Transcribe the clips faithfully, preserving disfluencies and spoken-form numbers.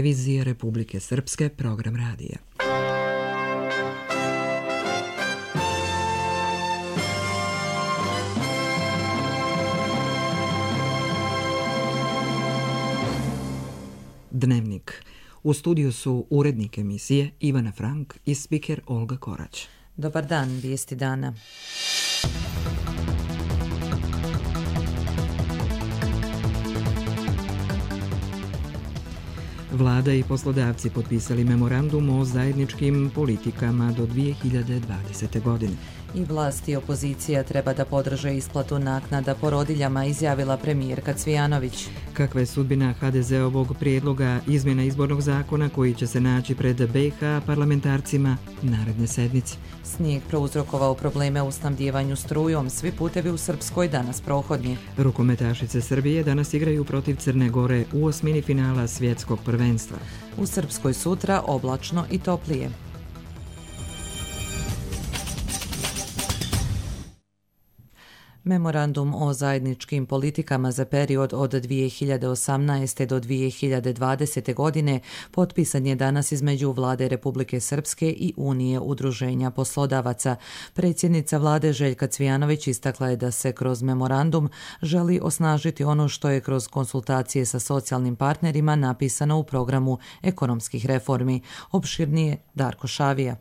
televizije Republike Srpske, program radija. Dnevnik. U studiju su urednik emisije Ivana Frank i spiker Olga Korać. Dobar dan, vijesti dana. Vlada i poslodavci potpisali memorandum o zajedničkim politikama do dvije hiljade dvadesete. godine. I vlast i opozicija treba da podrže isplatu naknada porodiljama, izjavila premijerka Cvijanović. Kakva je sudbina ha de ze-ovog prijedloga izmjena izbornog zakona koji će se naći pred be i ha parlamentarcima naredne sedmice? Snijeg prouzrokovao probleme u snabdijevanju strujom, svi putevi u Srpskoj danas prohodni. Rukometašice Srbije danas igraju protiv Crne Gore u osmini finala svjetskog prvenstva. U Srpskoj sutra oblačno i toplije. Memorandum o zajedničkim politikama za period od dvije hiljade osamnaeste. do dvije hiljade dvadesete. godine potpisan je danas između Vlade Republike Srpske i Unije udruženja poslodavaca. Predsjednica Vlade Željka Cvijanović istakla je da se kroz memorandum želi osnažiti ono što je kroz konsultacije sa socijalnim partnerima napisano u programu ekonomskih reformi. Opširnije Darko Šavija.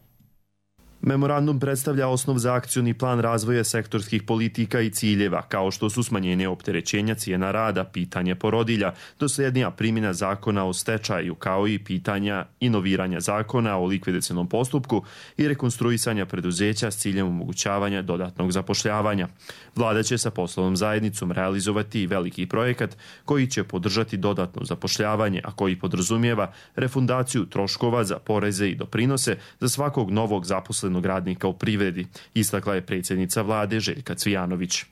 Memorandum predstavlja osnov za akcioni plan razvoja sektorskih politika i ciljeva, kao što su smanjenje opterećenja cijena rada, pitanje porodilja, dosljednija primjena zakona o stečaju, kao i pitanja inoviranja zakona o likvidacionom postupku i rekonstruisanja preduzeća s ciljem omogućavanja dodatnog zapošljavanja. Vlada će sa poslovnom zajednicom realizovati veliki projekat koji će podržati dodatno zapošljavanje, a koji podrazumijeva refundaciju troškova za poreze i doprinose za svakog novog zaposlenog radnika u privredi, istakla je predsjednica Vlade Željka Cvijanović.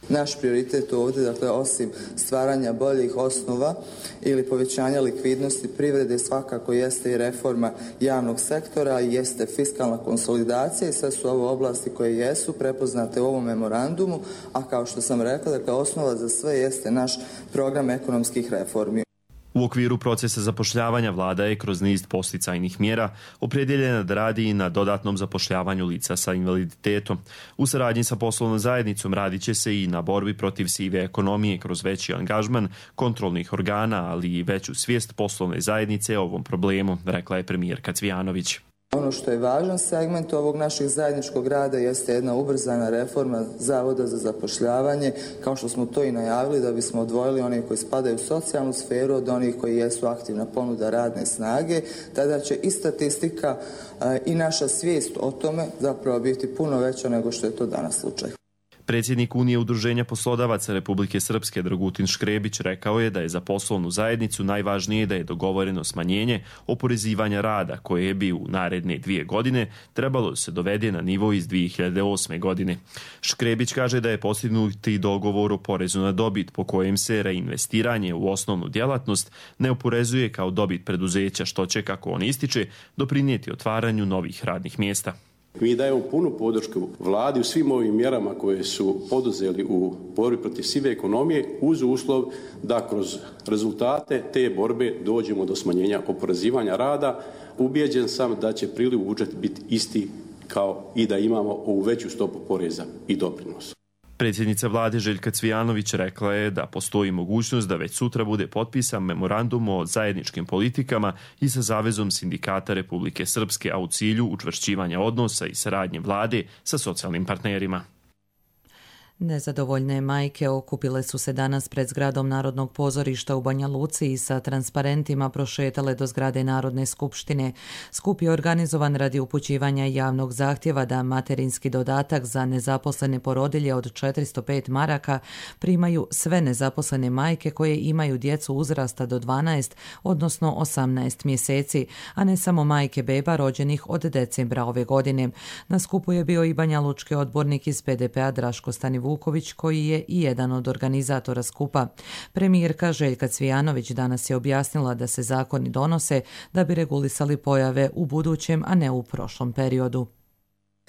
Naš prioritet ovdje, dakle, osim stvaranja boljih osnova ili povećanja likvidnosti privrede, svakako jeste i reforma javnog sektora i jeste fiskalna konsolidacija i sve su ovo oblasti koje jesu prepoznate u ovom memorandumu, a kao što sam rekla, dakle, osnova za sve jeste naš program ekonomskih reformi. U okviru procesa zapošljavanja vlada je kroz niz posticajnih mjera opredjeljena da radi i na dodatnom zapošljavanju lica sa invaliditetom. U saradnji sa poslovnom zajednicom radit će se i na borbi protiv sive ekonomije kroz veći angažman kontrolnih organa, ali i veću svijest poslovne zajednice o ovom problemu, rekla je premijerka Cvijanović. Ono što je važan segment ovog našeg zajedničkog rada jeste jedna ubrzana reforma Zavoda za zapošljavanje, kao što smo to i najavili, da bismo odvojili one koji spadaju u socijalnu sferu od onih koji jesu aktivna ponuda radne snage. Tada će i statistika i naša svijest o tome zapravo biti puno veća nego što je to danas slučaj. Predsjednik Unije udruženja poslodavaca Republike Srpske Dragutin Škrebić rekao je da je za poslovnu zajednicu najvažnije da je dogovoreno smanjenje oporezivanja rada koje bi u naredne dvije godine trebalo se dovede na nivo iz dvije hiljade osme. godine. Škrebić kaže da je postignuti dogovor o porezu na dobit po kojem se reinvestiranje u osnovnu djelatnost ne oporezuje kao dobit preduzeća, što će, kako on ističe, doprinijeti otvaranju novih radnih mjesta. Mi dajemo punu podršku vladi u svim ovim mjerama koje su poduzeli u borbi protiv sive ekonomije uz uslov da kroz rezultate te borbe dođemo do smanjenja oporezivanja rada. Ubijeđen sam da će priliv u budžet biti isti kao i da imamo ovu veću stopu poreza i doprinosa. Predsjednica Vlade Željka Cvijanović rekla je da postoji mogućnost da već sutra bude potpisan memorandum o zajedničkim politikama i sa Savezom sindikata Republike Srpske, a u cilju učvršćivanja odnosa i saradnje vlade sa socijalnim partnerima. Nezadovoljne majke okupile su se danas pred zgradom Narodnog pozorišta u Banja Luci i sa transparentima prošetale do zgrade Narodne skupštine. Skup je organizovan radi upućivanja javnog zahtjeva da materinski dodatak za nezaposlene porodilje od četiristo pet maraka primaju sve nezaposlene majke koje imaju djecu uzrasta do dvanaest, odnosno osamnaest mjeseci, a ne samo majke beba rođenih od decembra ove godine. Na skupu je bio i Banja Lučki odbornik iz pe de pe-a Draško Stanivuković, koji je i jedan od organizatora skupa. Premijerka Željka Cvijanović danas je objasnila da se zakoni donose da bi regulisali pojave u budućem, a ne u prošlom periodu.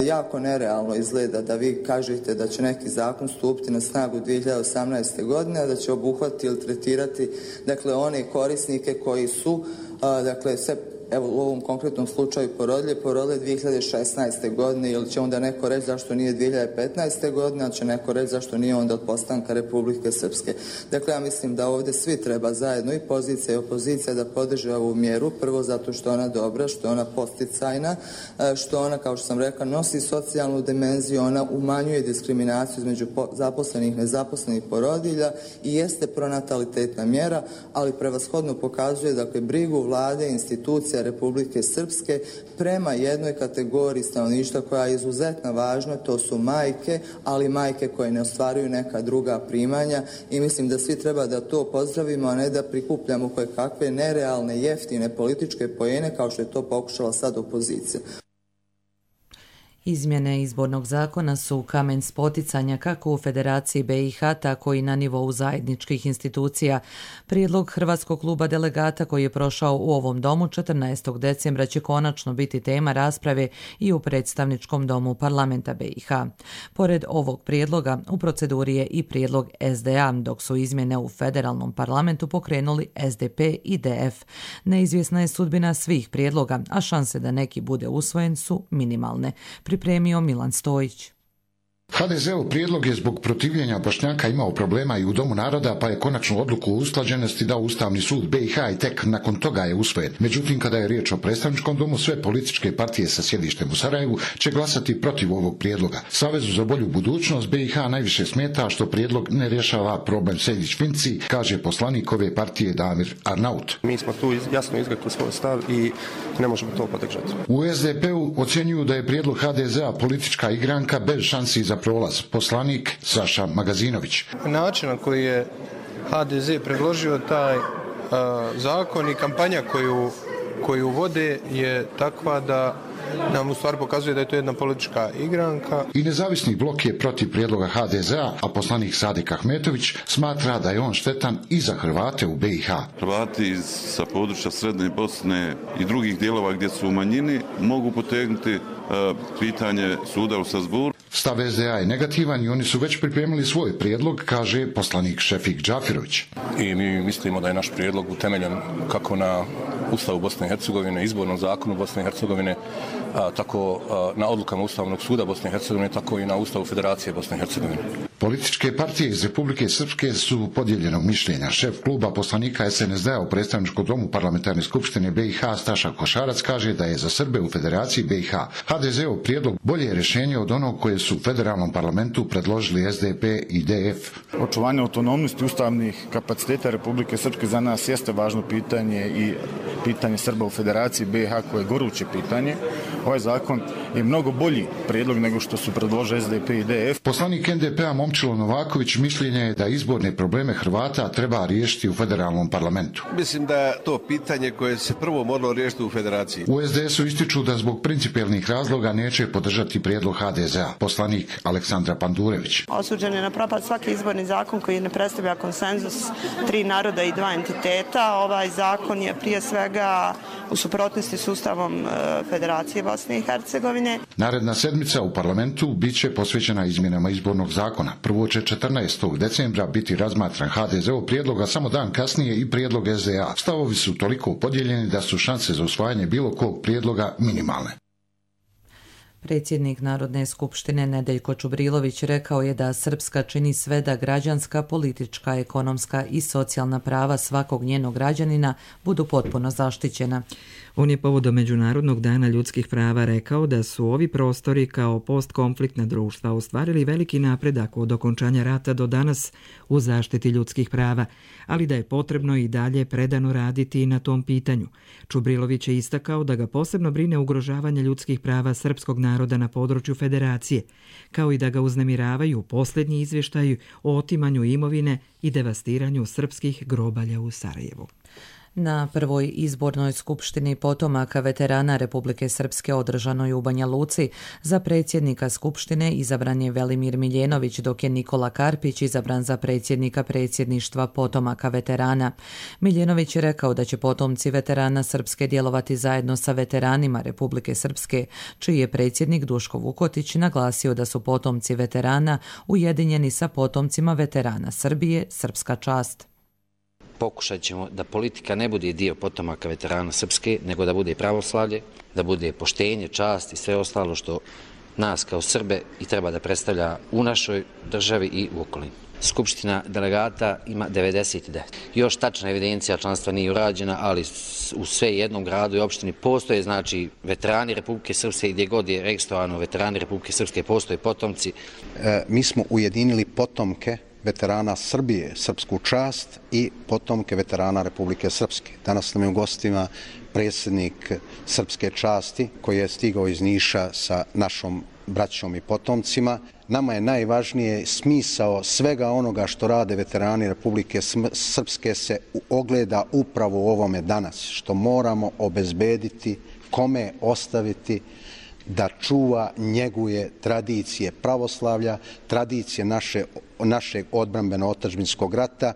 Jako nerealno izgleda da vi kažete da će neki zakon stupiti na snagu dvije hiljade osamnaeste. godine, a da će obuhvatiti ili tretirati dakle, one korisnike koji su a, dakle, sve evo u ovom konkretnom slučaju porodilje, porodile dvije hiljade šesnaeste. godine, ili će onda neko reći zašto nije dvije hiljade petnaeste. godine, a će neko reći zašto nije onda od postanka Republike Srpske. Dakle, ja mislim da ovdje svi treba zajedno, i pozicija i opozicija, da podrže ovu mjeru, prvo zato što ona dobra, što je ona posticajna, što ona, kao što sam rekla, nosi socijalnu dimenziju, ona umanjuje diskriminaciju između zaposlenih i nezaposlenih porodilja i jeste pronatalitetna mjera, ali prevashodno pokazuje dakle, brigu vlade i institucija Republike Srpske prema jednoj kategoriji stanovništva koja je izuzetno važna, to su majke, ali majke koje ne ostvaruju neka druga primanja, i mislim da svi treba da to pozdravimo, a ne da prikupljamo koje kakve nerealne, jeftine političke poene kao što je to pokušala sad opozicija. Izmjene izbornog zakona su kamen spoticanja kako u Federaciji B i H, tako i na nivou zajedničkih institucija. Prijedlog Hrvatskog kluba delegata koji je prošao u ovom domu četrnaestog decembra će konačno biti tema rasprave i u predstavničkom domu parlamenta B i H. Pored ovog prijedloga, u proceduri je i prijedlog S D A, dok su izmjene u federalnom parlamentu pokrenuli S D P i D F. Neizvjesna je sudbina svih prijedloga, a šanse da neki bude usvojen su minimalne. Pripremio Milan Stojić. H D Z-ov prijedlog je zbog protivljenja Bošnjaka imao problema i u Domu naroda, pa je konačnu odluku o usklađenosti dao Ustavni sud B i H i tek nakon toga je usvojen. Međutim, kada je riječ o predstavničkom domu, sve političke partije sa sjedištem u Sarajevu će glasati protiv ovog prijedloga. Savezu za bolju budućnost B i H najviše smeta što prijedlog ne rješava problem Sejdić-Finci, kaže poslanik ove partije Damir Arnaut. Mi smo tu jasno izrekli svoj stav i ne možemo to podržati. U S D P-u ocjenjuju da je prijedlog H D Z-a politička igranka bez šansi za prolaz. Poslanik Saša Magazinović. Način na koji je H D Z predložio taj uh, zakon i kampanja koju, koju vode je takva da nam u stvari pokazuje da je to jedna politička igranka. I nezavisni blok je protiv prijedloga H D Z-a, a poslanik Sadik Ahmetović smatra da je on štetan i za Hrvate u B i H. Hrvati sa područja Srednje Bosne i drugih dijelova gdje su u manjini mogu potegnuti uh, pitanje suda u Strasbourgu. Stav S D A je negativan i oni su već pripremili svoj prijedlog, kaže poslanik Šefik Džafirović. I mi mislimo da je naš prijedlog utemeljen kako na Ustavu Bosne i Hercegovine, izbornom zakonu Bosne i Hercegovine, a, tako a, na odlukama Ustavnog suda Bosne i Hercegovine, tako i na Ustavu Federacije Bosne i Hercegovine. Političke partije iz Republike Srpske su podijeljenog mišljenja. Šef kluba poslanika S N S D-a u predstavničkom domu parlamentarne skupštine B i H Staša Košarac kaže da je za Srbe u Federaciji B i H H D Z-ov prijedlog bolje rješenje od onog koje su u federalnom parlamentu predložili S D P i D F. Očuvanje autonomnosti ustavnih kapaciteta Republike Srpske za nas jeste važno pitanje i pitanje Srba u Federaciji B i H koje je goruće pitanje. Ovaj zakon je mnogo bolji prijedlog nego što su predložili S D P i D F. Poslanik N D P-a Momčilo Novaković mišljenje je da izborne probleme Hrvata treba riješiti u federalnom parlamentu. Mislim da je to pitanje koje se prvo moralo riješiti u Federaciji. U S D S-u ističu da zbog principijelnih razloga neće podržati prijedlog H D Z-a. Poslanik Aleksandra Pandurević. Osuđen je na propad svaki izborni zakon koji ne predstavlja konsenzus tri naroda i dva entiteta. Ovaj zakon je prije svega u suprotnosti s Ustavom Federacije Bosne i Hercegovine. Naredna sedmica u parlamentu biće posvećena izmjenama izbornog zakona. Prvo će četrnaestog decembra biti razmatran H D Z-ov prijedlog, a samo dan kasnije i prijedlog S D A. Stavovi su toliko podijeljeni da su šanse za usvajanje bilo kog prijedloga minimalne. Predsjednik Narodne skupštine Nedeljko Čubrilović rekao je da Srpska čini sve da građanska, politička, ekonomska i socijalna prava svakog njenog građanina budu potpuno zaštićena. On je povodom Međunarodnog dana ljudskih prava rekao da su ovi prostori kao postkonfliktna društva ostvarili veliki napredak od okončanja rata do danas u zaštiti ljudskih prava, ali da je potrebno i dalje predano raditi na tom pitanju. Čubrilović je istakao da ga posebno brine ugrožavanje ljudskih prava srpskog naroda na području Federacije, kao i da ga uznemiravaju posljednji izvještaji o otimanju imovine i devastiranju srpskih grobalja u Sarajevu. Na prvoj izbornoj skupštini potomaka veterana Republike Srpske održanoj u Banja Luci za predsjednika skupštine izabran je Velimir Miljenović, dok je Nikola Karpić izabran za predsjednika predsjedništva potomaka veterana. Miljenović je rekao da će potomci veterana Srpske djelovati zajedno sa veteranima Republike Srpske, čiji je predsjednik Duško Vukotić naglasio da su potomci veterana ujedinjeni sa potomcima veterana Srbije, srpska čast. Pokušat ćemo da politika ne bude dio potomaka veterana Srpske, nego da bude pravoslavlje, da bude poštenje, čast i sve ostalo što nas kao Srbe i treba da predstavlja u našoj državi i u okolini. Skupština delegata ima devedeset devet. Još tačna evidencija članstva nije urađena, ali u sve jednom gradu i opštini postoje, znači, veterani Republike Srpske, gdje god je registrovano veterani Republike Srpske, postoje potomci. E, mi smo ujedinili potomke veterana Srbije, srpsku čast, i potomke veterana Republike Srpske. Danas nam je u gostima predsjednik srpske časti koji je stigao iz Niša sa našom braćom i potomcima. Nama je najvažnije smisao svega onoga što rade veterani Republike Srpske se ogleda upravo u ovome danas, što moramo obezbediti, kome ostaviti da čuva, njeguje tradicije pravoslavlja, tradicije naše, našeg odbrambeno-otadžbinskog rata.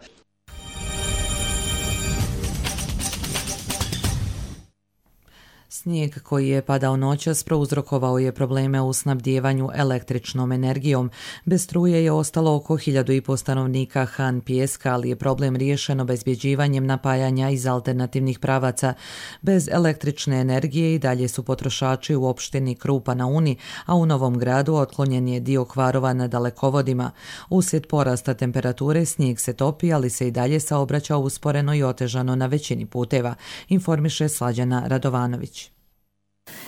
Snijeg koji je padao noćas prouzrokovao je probleme u snabdijevanju električnom energijom. Bez struje je ostalo oko hiljadu i po stanovnika Han Pijeska, ali je problem riješen obezbjeđivanjem napajanja iz alternativnih pravaca. Bez električne energije i dalje su potrošači u opštini Krupa na Uni, a u Novom Gradu otklonjen je dio kvarova na dalekovodima. Uslijed porasta temperature snijeg se topi, ali se i dalje saobraća usporeno i otežano na većini puteva, informiše Slađana Radovanović.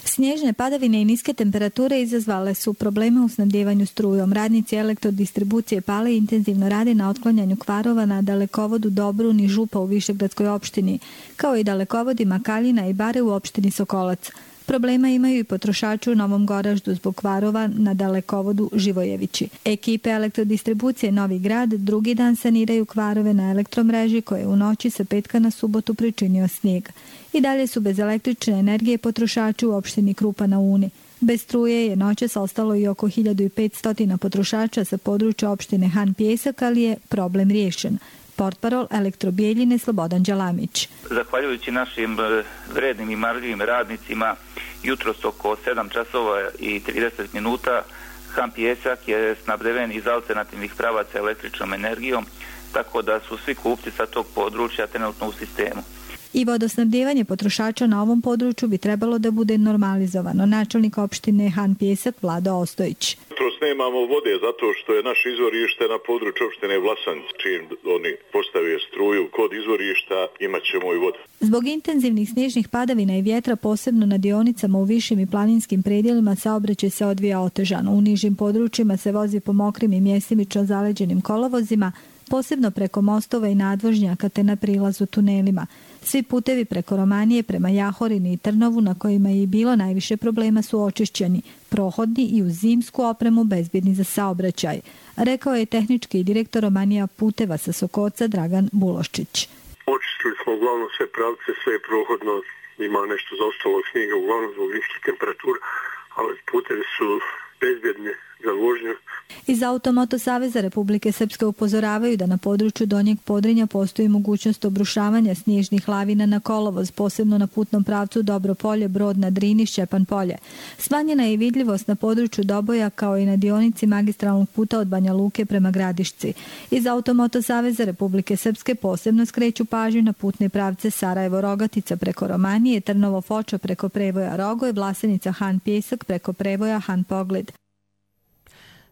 Snježne padavine i niske temperature izazvale su probleme u snabdijevanju strujom. Radnici elektrodistribucije Pale intenzivno rade na otklanjanju kvarova na dalekovodu Dobrun i Župa u Višegradskoj opštini, kao i dalekovodima Kaljina i Bare u opštini Sokolac. Problema imaju i potrošači u Novom Goraždu zbog kvarova na dalekovodu Živojevići. Ekipe elektrodistribucije Novi Grad drugi dan saniraju kvarove na elektromreži koje u noći sa petka na subotu pričinio snijeg. I dalje su bez električne energije potrošači u opštini Krupa na Uni. Bez struje je noćas ostalo i oko hiljadu petsto potrošača sa područja opštine Han Pijesak, ali je problem riješen. Portparol Elektrobijeljine Slobodan Đalamić. Zahvaljujući našim vrednim i marljivim radnicima, jutros oko sedam časova i trideset minuta Han Pijesak je snabdeven iz alternativnih pravaca električnom energijom, tako da su svi kupci sa tog područja trenutno u sistemu. I vodosnabdijevanje potrošača na ovom području bi trebalo da bude normalizovano. Načelnik opštine Han Pijesak Vlado Ostojić. Jutros nemamo vode zato što je naš izvorište na području opštine Vlasanci. Čim oni postave struju kod izvorišta imat ćemo i vodu. Zbog intenzivnih snježnih padavina i vjetra, posebno na dionicama u višim i planinskim predjelima, saobraćaj se odvija otežano. U nižim područjima se vozi po mokrim i mjestimično zaleđenim kolovozima, posebno preko mostova i nadvožnjaka te na prilazu tunelima. Svi putevi preko Romanije prema Jahorini i Trnovu, na kojima je i bilo najviše problema, su očišćeni, prohodni i uz zimsku opremu bezbjedni za saobraćaj, rekao je tehnički direktor Romanija puteva sa Sokoca Dragan Buloščić. Očistili smo uglavnom sve pravce, sve je prohodno, ima nešto zaostalo snijega uglavnom zbog niskih temperatura, ali putevi su bezbjedni za vožnju. Iz Automoto Saveza Republike Srpske upozoravaju da na području Donjeg Podrinja postoji mogućnost obrušavanja snježnih lavina na kolovoz, posebno na putnom pravcu Dobropolje, Brod na Drini, Šćepan Polje. Smanjena je i vidljivost na području Doboja kao i na dionici magistralnog puta od Banja Luke prema Gradišci. Iz Automoto Saveza Republike Srpske posebno skreću pažnju na putne pravce Sarajevo-Rogatica preko Romanije, Trnovo-Foča preko prevoja Rogoj, Vlasenica Han Pijesak preko prevoja Han Pogled.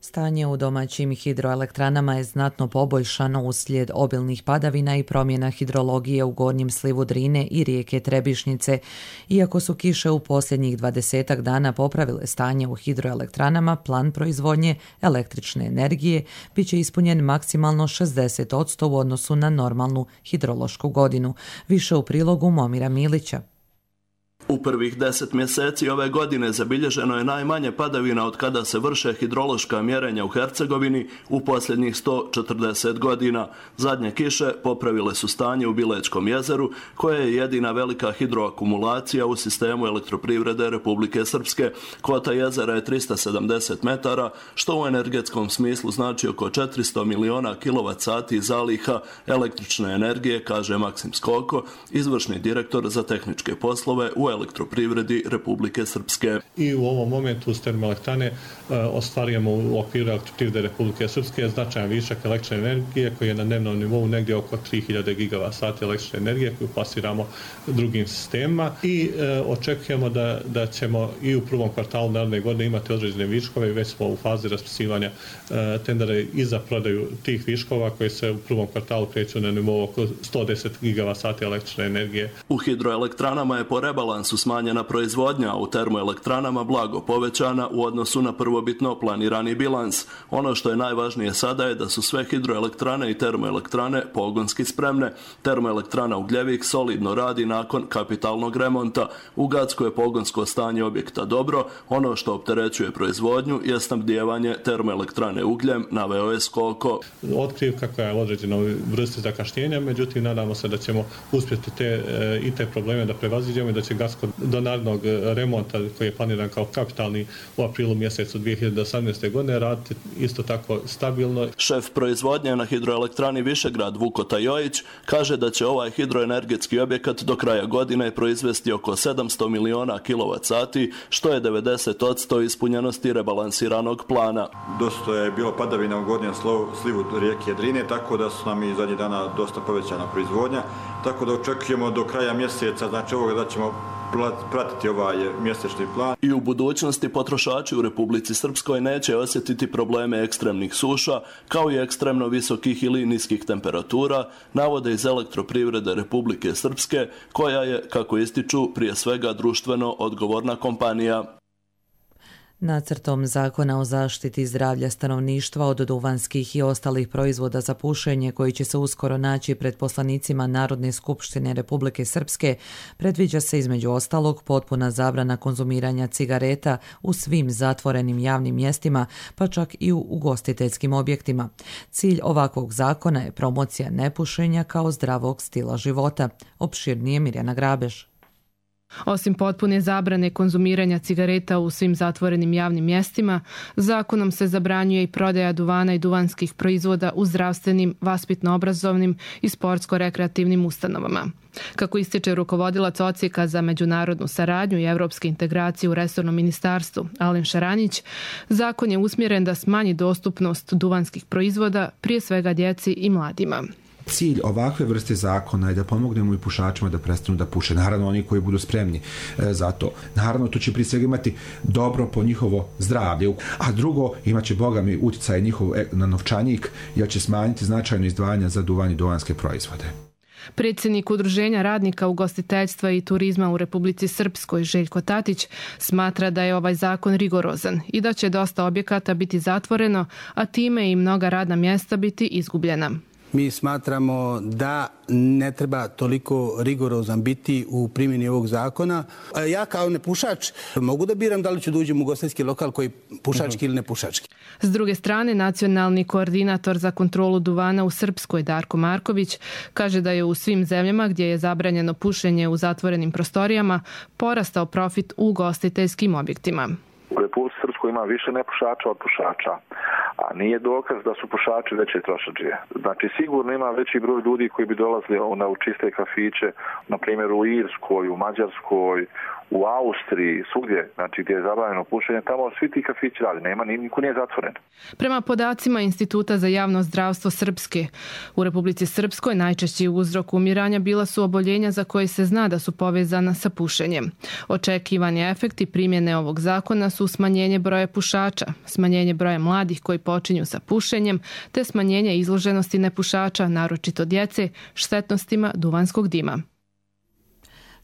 Stanje u domaćim hidroelektranama je znatno poboljšano uslijed obilnih padavina i promjena hidrologije u gornjem slivu Drine i rijeke Trebišnice. Iako su kiše u posljednjih dvadesetak dana popravile stanje u hidroelektranama, plan proizvodnje električne energije bit će ispunjen maksimalno šezdeset posto u odnosu na normalnu hidrološku godinu. Više u prilogu Momira Milića. U prvih deset mjeseci ove godine zabilježeno je najmanje padavina od kada se vrše hidrološka mjerenja u Hercegovini u posljednjih sto četrdeset godina. Zadnje kiše popravile su stanje u Bilečkom jezeru, koje je jedina velika hidroakumulacija u sistemu elektroprivrede Republike Srpske. Kvota jezera je trista sedamdeset metara, što u energetskom smislu znači oko četiristo miliona kilovat sati zaliha električne energije, kaže Maksim Skoko, izvršni direktor za tehničke poslove u elektroprivredi Republike Srpske. I u ovom momentu uz termoelektrane e, ostvarujemo u okviru elektroprivrede Republike Srpske značajan višak električne energije koji je na dnevnom nivou negdje oko tri hiljade gigavat sati električne energije koju plasiramo drugim sistemima i e, očekujemo da, da ćemo i u prvom kvartalu naredne godine imati određene viškove i već smo u fazi raspisivanja e, tendera i za prodaju tih viškova koji se u prvom kvartalu kreću na nivou oko sto deset gigavat sati električne energije. U hidroelektranama je po rebalansu smanjena proizvodnja, a u termoelektranama blago povećana u odnosu na prvobitno planirani bilans. Ono što je najvažnije sada je da su sve hidroelektrane i termoelektrane pogonski spremne. Termoelektrana Ugljevik solidno radi nakon kapitalnog remonta. U Gacku je pogonsko stanje objekta dobro. Ono što opterećuje proizvodnju je snabdijevanje termoelektrane ugljem, naveo je Skoko. Otkriv kako je određeno vrste zakašnjenja, međutim nadamo se da ćemo uspjeti te, e, i te probleme da prevaziđemo i da će Gacko do narednog remonta koji je planiran kao kapitalni u aprilu mjesecu dvije hiljade osamnaeste. godine raditi isto tako stabilno. Šef proizvodnje na hidroelektrani Višegrad Vuko Tajojić kaže da će ovaj hidroenergetski objekat do kraja godine proizvesti oko sedamsto miliona kilovat sati, što je devedeset posto ispunjenosti rebalansiranog plana. Dosta je bilo padavina u gornjem slivu rijeke Drine, tako da su nam i zadnjih dana dosta povećana proizvodnja, tako da očekujemo do kraja mjeseca, znači ovoga da ćemo pratiti ovaj mjesečni plan. I u budućnosti potrošači u Republici Srpskoj neće osjetiti probleme ekstremnih suša, kao i ekstremno visokih ili niskih temperatura, navode iz elektroprivrede Republike Srpske, koja je, kako ističu, prije svega društveno odgovorna kompanija. Nacrtom zakona o zaštiti zdravlja stanovništva od duvanskih i ostalih proizvoda za pušenje koji će se uskoro naći pred poslanicima Narodne skupštine Republike Srpske predviđa se između ostalog potpuna zabrana konzumiranja cigareta u svim zatvorenim javnim mjestima, pa čak i u ugostiteljskim objektima. Cilj ovakvog zakona je promocija nepušenja kao zdravog stila života. Opširnije Mirjana Grabež. Osim potpune zabrane konzumiranja cigareta u svim zatvorenim javnim mjestima, zakonom se zabranjuje i prodaja duvana i duvanskih proizvoda u zdravstvenim, vaspitno-obrazovnim i sportsko-rekreativnim ustanovama. Kako ističe rukovodilac odsjeka za međunarodnu saradnju i evropske integracije u resornom ministarstvu Alen Šaranić, zakon je usmjeren da smanji dostupnost duvanskih proizvoda, prije svega djeci i mladima. Cilj ovakve vrste zakona je da pomognemo i pušačima da prestanu da puše. Naravno, oni koji budu spremni e, za to. Naravno, to će prije svega imati dobro po njihovo zdravlje. A drugo, imaće, boga mi, utjecaj njihov na novčanik, jer će smanjiti značajno izdvajanja za duvan i duvanske proizvode. Predsjednik Udruženja radnika ugostiteljstva i turizma u Republici Srpskoj, Željko Tatić, smatra da je ovaj zakon rigorozan i da će dosta objekata biti zatvoreno, a time i mnoga radna mjesta biti izgubljena. Mi smatramo da ne treba toliko rigorozan biti u primjeni ovog zakona. Ja kao nepušač mogu da biram da li ću da uđem u ugostiteljski lokal koji pušački ili nepušački. S druge strane, nacionalni koordinator za kontrolu duvana u Srpskoj, Darko Marković, kaže da je u svim zemljama gdje je zabranjeno pušenje u zatvorenim prostorijama porastao profit u ugostiteljskim objektima. U Republici Srpskoj ima više nepušača od pušača, a nije dokaz da su pušači veće trošadžije. Znači, sigurno ima veći broj ljudi koji bi dolazili na u čiste kafiće, na primjer u Irskoj, u Mađarskoj, u Austriji, svugdje, znači gdje je zabranjeno pušenje, tamo svi ti kafići radi, nema, niko nije zatvoren. Prema podacima Instituta za javno zdravstvo Srpske, u Republici Srpskoj najčešći uzrok umiranja bila su oboljenja za koje se zna da su povezana sa pušenjem. Očekivani efekti primjene ovog zakona su smanjenje broja pušača, smanjenje broja mladih koji počinju sa pušenjem, te smanjenje izloženosti nepušača, naročito djece, štetnostima duvanskog dima.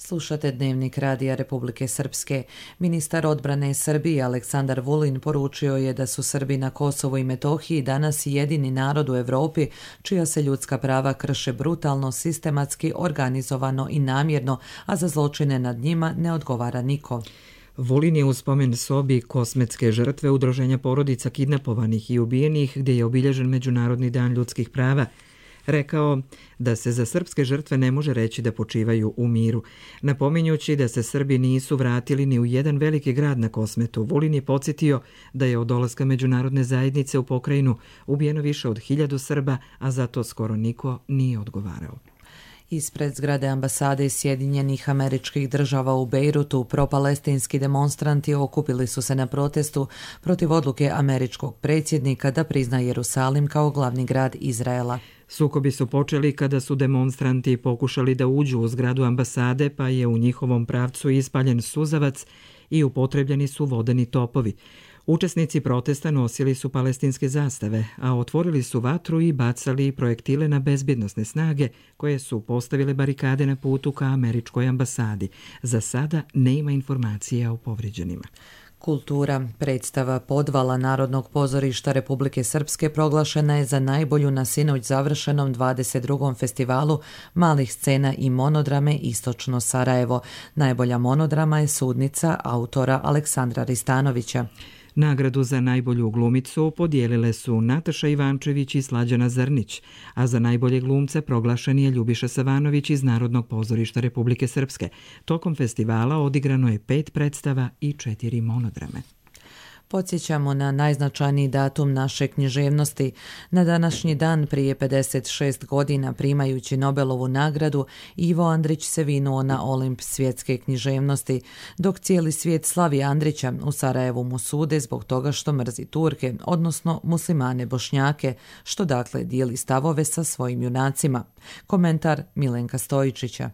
Slušate Dnevnik Radija Republike Srpske. Ministar odbrane Srbije Aleksandar Vulin poručio je da su Srbi na Kosovu i Metohiji danas jedini narod u Evropi čija se ljudska prava krše brutalno, sistematski, organizovano i namjerno, a za zločine nad njima ne odgovara niko. Vulin je u spomen sobi kosmetske žrtve udruženja porodica kidnapovanih i ubijenih, gdje je obilježen Međunarodni dan ljudskih prava, rekao da se za srpske žrtve ne može reći da počivaju u miru. Napominjući da se Srbi nisu vratili ni u jedan veliki grad na Kosmetu, Vulin je podsjetio da je od dolaska međunarodne zajednice u pokrajinu ubijeno više od hiljadu Srba, a za to skoro niko nije odgovarao. Ispred zgrade ambasade Sjedinjenih Američkih Država u Bejrutu propalestinski demonstranti okupili su se na protestu protiv odluke američkog predsjednika da prizna Jerusalim kao glavni grad Izraela. Sukobi su počeli kada su demonstranti pokušali da uđu u zgradu ambasade, pa je u njihovom pravcu ispaljen suzavac i upotrebljeni su vodeni topovi. Učesnici protesta nosili su palestinske zastave, a otvorili su vatru i bacali projektile na bezbjednosne snage koje su postavile barikade na putu ka američkoj ambasadi. Za sada nema informacija o povrijeđenima. Kultura. Predstava Podvala Narodnog pozorišta Republike Srpske proglašena je za najbolju na sinoć završenom dvadeset drugom festivalu malih scena i monodrame Istočno Sarajevo. Najbolja monodrama je Sudnica autora Aleksandra Ristanovića. Nagradu za najbolju glumicu podijelile su Nataša Ivančević i Slađana Zrnić, a za najbolje glumce proglašen je Ljubiša Savanović iz Narodnog pozorišta Republike Srpske. Tokom festivala odigrano je pet predstava i četiri monodrame. Podsjećamo na najznačajniji datum naše književnosti. Na današnji dan prije pedeset šest godina, primajući Nobelovu nagradu, Ivo Andrić se vinuo na Olimp svjetske književnosti, dok cijeli svijet slavi Andrića, u Sarajevu mu sude zbog toga što mrzi Turke, odnosno muslimane Bošnjake, što dakle dijeli stavove sa svojim junacima. Komentar Milenka Stojičića.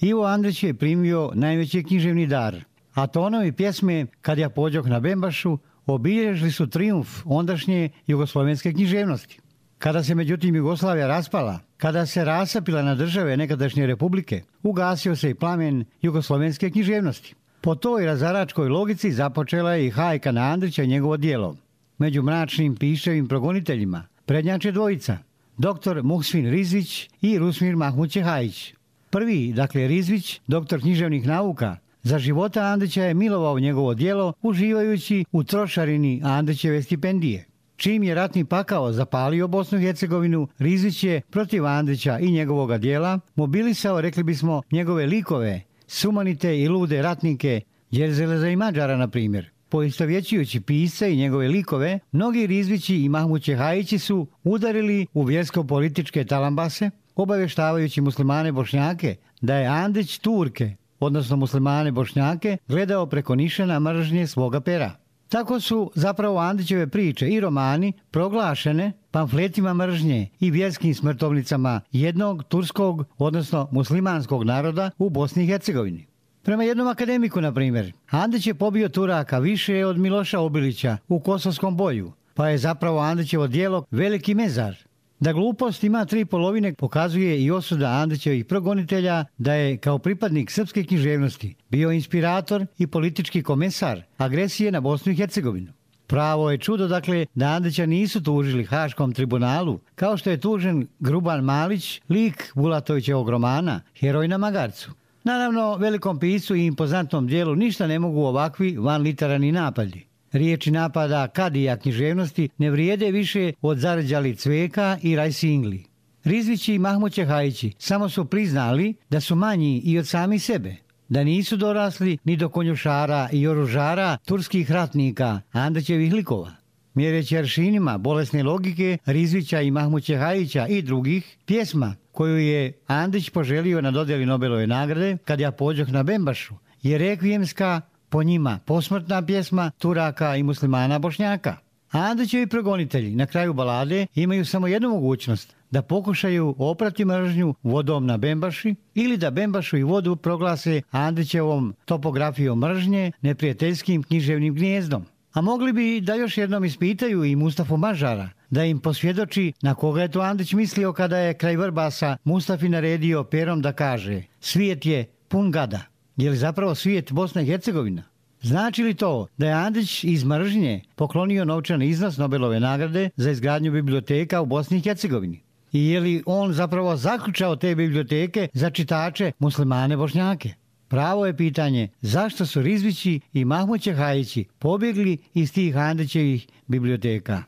Ivo Andrić je primio najveći književni dar. A tonovi pjesme Kad ja pođoh na Bembašu obilježili su trijumf ondašnje jugoslovenske književnosti. Kada se međutim Jugoslavija raspala, kada se rasapila na države nekadašnje republike, ugasio se i plamen jugoslovenske književnosti. Po toj razaračkoj logici započela je i hajka na Andrića i njegovo djelo. Među mračnim piševim progoniteljima prednjače dvojica, doktor Muhsvin Rizvić i Rusmir Mahmud Čehajić. Prvi, dakle Rizvić, doktor književnih nauka, za života Andrića je milovao njegovo djelo uživajući u trošarini Andrićeve stipendije. Čim je ratni pakao zapalio Bosnu i Hercegovinu, Rizvić je protiv Andrića i njegovoga djela mobilisao, rekli bismo, njegove likove, sumanite i lude ratnike, Đerzeleza i Mađara, na primjer. Poistovjećujući pisca i njegove likove, mnogi Rizvići i Mahmud Čehajići su udarili u vjersko-političke talambase, obavještavajući muslimane Bošnjake da je Andrić Turke, odnosno muslimane Bošnjake, gledao preko nišana mržnje svoga pera. Tako su zapravo Andrićeve priče i romani proglašene pamfletima mržnje i vjerskim smrtovnicama jednog turskog, odnosno muslimanskog naroda u Bosni i Hercegovini. Prema jednom akademiku, na primjer, Andrić je pobio Turaka više od Miloša Obilića u Kosovskom boju, pa je zapravo Andrićevo djelo veliki mezar. Da glupost ima tri polovine pokazuje i osuda Andrićevih progonitelja da je kao pripadnik srpske književnosti bio inspirator i politički komesar agresije na Bosnu i Hercegovinu. Pravo je čudo, dakle, da Andrića nisu tužili Haškom tribunalu, kao što je tužen Gruban Malić, lik Bulatovićevog romana Heroj na magarcu. Naravno, velikom piscu i impozantnom dijelu ništa ne mogu ovakvi vanliterarni napadi. Riječi napada kadija književnosti ne vrijede više od Zarđali Cveka i Rajsingli. Rizvići i Mahmud Čehajići samo su priznali da su manji i od sami sebe, da nisu dorasli ni do konjušara i oružara turskih ratnika, Andrićevih likova. Mjereći aršinima bolesne logike Rizvića i Mahmud Čehajića i drugih, pjesma koju je Andrić poželio na dodjeli Nobelove nagrade Kad ja pođoh na Bembašu je rekvijemska, po njima posmrtna pjesma Turaka i muslimana Bošnjaka. Andrićevi progonitelji na kraju balade imaju samo jednu mogućnost, da pokušaju oprati mržnju vodom na Bembaši ili da Bembašu i vodu proglase Andrićevom topografijom mržnje neprijateljskim književnim gnjezdom. A mogli bi da još jednom ispitaju i Mustafu Mažara, da im posvjedoči na koga je to Andrić mislio kada je kraj Vrbasa Mustafi naredio perom da kaže: svijet je pun gada. Je li zapravo svijet Bosna i Hercegovina? Znači li to da je Andrić iz mržnje poklonio novčani iznos Nobelove nagrade za izgradnju biblioteka u Bosni i Hercegovini? I je li on zapravo zaključao te biblioteke za čitače muslimane Bošnjake? Pravo je pitanje zašto su Rizvići i Mahmud Ćehajići pobjegli iz tih Andrićevih biblioteka.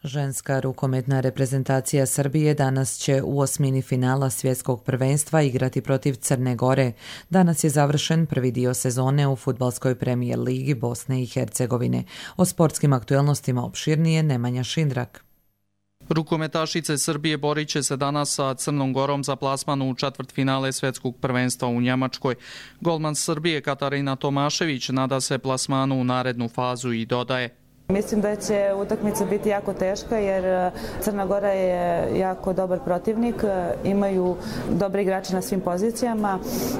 Ženska rukometna reprezentacija Srbije danas će u osmini finala svjetskog prvenstva igrati protiv Crne Gore. Danas je završen prvi dio sezone u fudbalskoj premijer ligi Bosne i Hercegovine. O sportskim aktuelnostima opširnije Nemanja Šindrak. Rukometašice Srbije borit će se danas sa Crnom Gorom za plasman u četvrtfinale svjetskog prvenstva u Njemačkoj. Golman Srbije Katarina Tomašević nada se plasmanu u narednu fazu i dodaje: Mislim da će utakmica biti jako teška jer Crna Gora je jako dobar protivnik, imaju dobre igrače na svim pozicijama.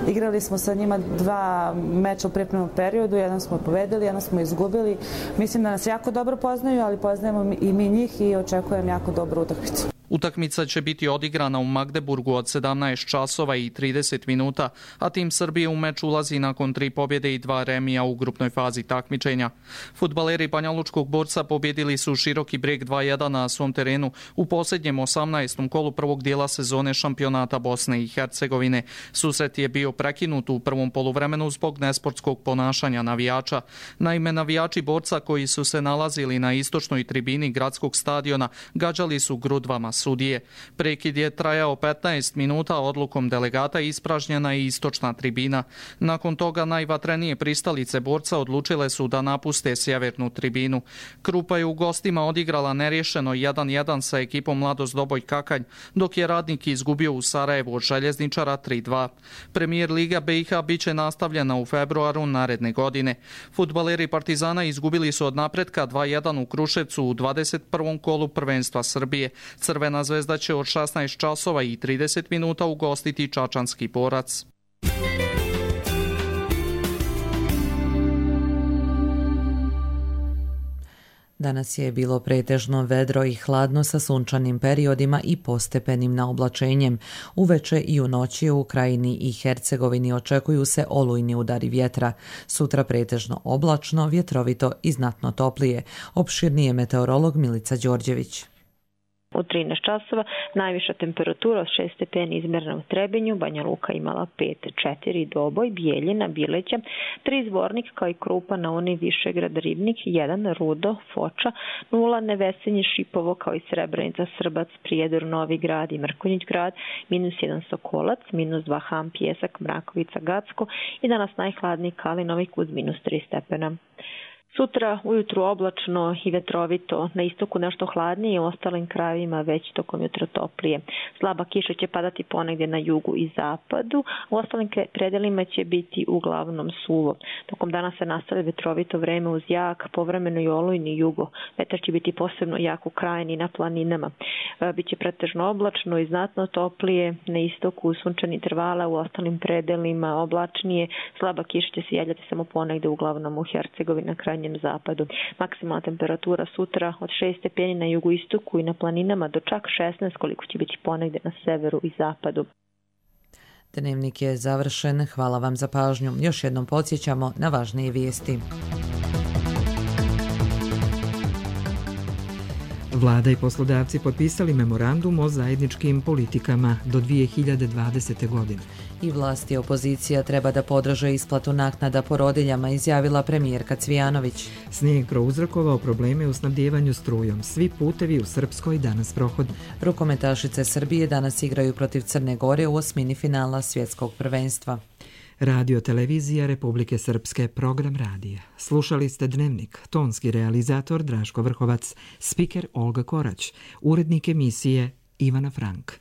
Igrali smo sa njima dva meča u pripremnom periodu, jedan smo pobedili, jedan smo izgubili. Mislim da nas jako dobro poznaju, ali poznajemo i mi njih i očekujem jako dobru utakmicu. Utakmica će biti odigrana u Magdeburgu od sedamnaest časova i trideset minuta, a tim Srbije u meč ulazi nakon tri pobjede i dva remija u grupnoj fazi takmičenja. Fudbaleri Banjalučkog Borca pobjedili su Široki Breg dva jedan na svom terenu u posljednjem osamnaestom kolu prvog dijela sezone šampionata Bosne i Hercegovine. Susret je bio prekinut u prvom poluvremenu zbog nesportskog ponašanja navijača. Naime, navijači Borca koji su se nalazili na istočnoj tribini gradskog stadiona gađali su grudvama sudije. Prekid je trajao petnaest minuta, odlukom delegata ispražnjena je istočna tribina. Nakon toga najvatrenije pristalice Borca odlučile su da napuste sjevernu tribinu. Krupa je u gostima odigrala nerješeno jedan jedan sa ekipom Mladost Doboj Kakanj, dok je Radnik izgubio u Sarajevu od Željezničara tri dva. Premijer Liga B i H biće nastavljena u februaru naredne godine. Fudbaleri Partizana izgubili su od napretka dva jedan u Kruševcu u dvadeset prvom kolu prvenstva Srbije. Crvena zvezda će od šesnaest časova i trideset minuta ugostiti Čačanski Borac. Danas je bilo pretežno vedro i hladno sa sunčanim periodima i postepenim naoblačenjem. Uveče i u noći u Krajini i Hercegovini očekuju se olujni udari vjetra. Sutra pretežno oblačno, vjetrovito i znatno toplije. Opširnije meteorolog Milica Đorđević. U trinaest časova najviša temperatura od šest stepeni izmjerena u Trebinju, Banja Luka imala pet četiri, Doboj, Bijeljina, Bileća, tri Zvornik kao i Krupa, na Uni, Višegrad, Ribnik, jedan Rudo, Foča, nula Nevesenje, Šipovo kao i Srebrenica, Srbac, Prijedor, Novi Grad i Mrkonjić Grad, minus jedan Sokolac, minus dva Ham, Pjesak, Mrakovica, Gacko i danas najhladniji Kalinovi uz minus tri stepena. Sutra ujutru oblačno i vetrovito, na istoku nešto hladnije, u ostalim krajevima već tokom jutra toplije. Slaba kiša će padati ponegdje na jugu i zapadu, u ostalim predelima će biti uglavnom suvo. Tokom dana se nastavlja vetrovito vreme uz jak, povremeno i olujni jugo. Vetar će biti posebno jak u Krajini i na planinama. Biće pretežno oblačno i znatno toplije, na istoku sunčani intervala, u ostalim predelima oblačnije. Slaba kiša će se javljati samo ponegdje uglavnom u Hercegovini na krajnjem zapadu. Maksimalna temperatura sutra od šest stepeni na jugoistoku i na planinama do čak šesnaest koliko će biti ponegdje na severu i zapadu. Dnevnik je završen. Hvala vam za pažnju. Još jednom podsjećamo na važnije vijesti. Vlada i poslodavci potpisali memorandum o zajedničkim politikama do dvije hiljade dvadesete. godine. I vlast i opozicija treba da podrže isplatu naknada porodiljama, izjavila premijerka Cvijanović. Snijeg prouzrokovao probleme u snabdjevanju strujom. Svi putevi u Srpskoj danas prohod. Rukometašice Srbije danas igraju protiv Crne Gore u osmini finala svjetskog prvenstva. Radio Televizija Republike Srpske, program radija. Slušali ste Dnevnik, tonski realizator Draško Vrhovac, spiker Olga Korać, urednik emisije Ivana Frank.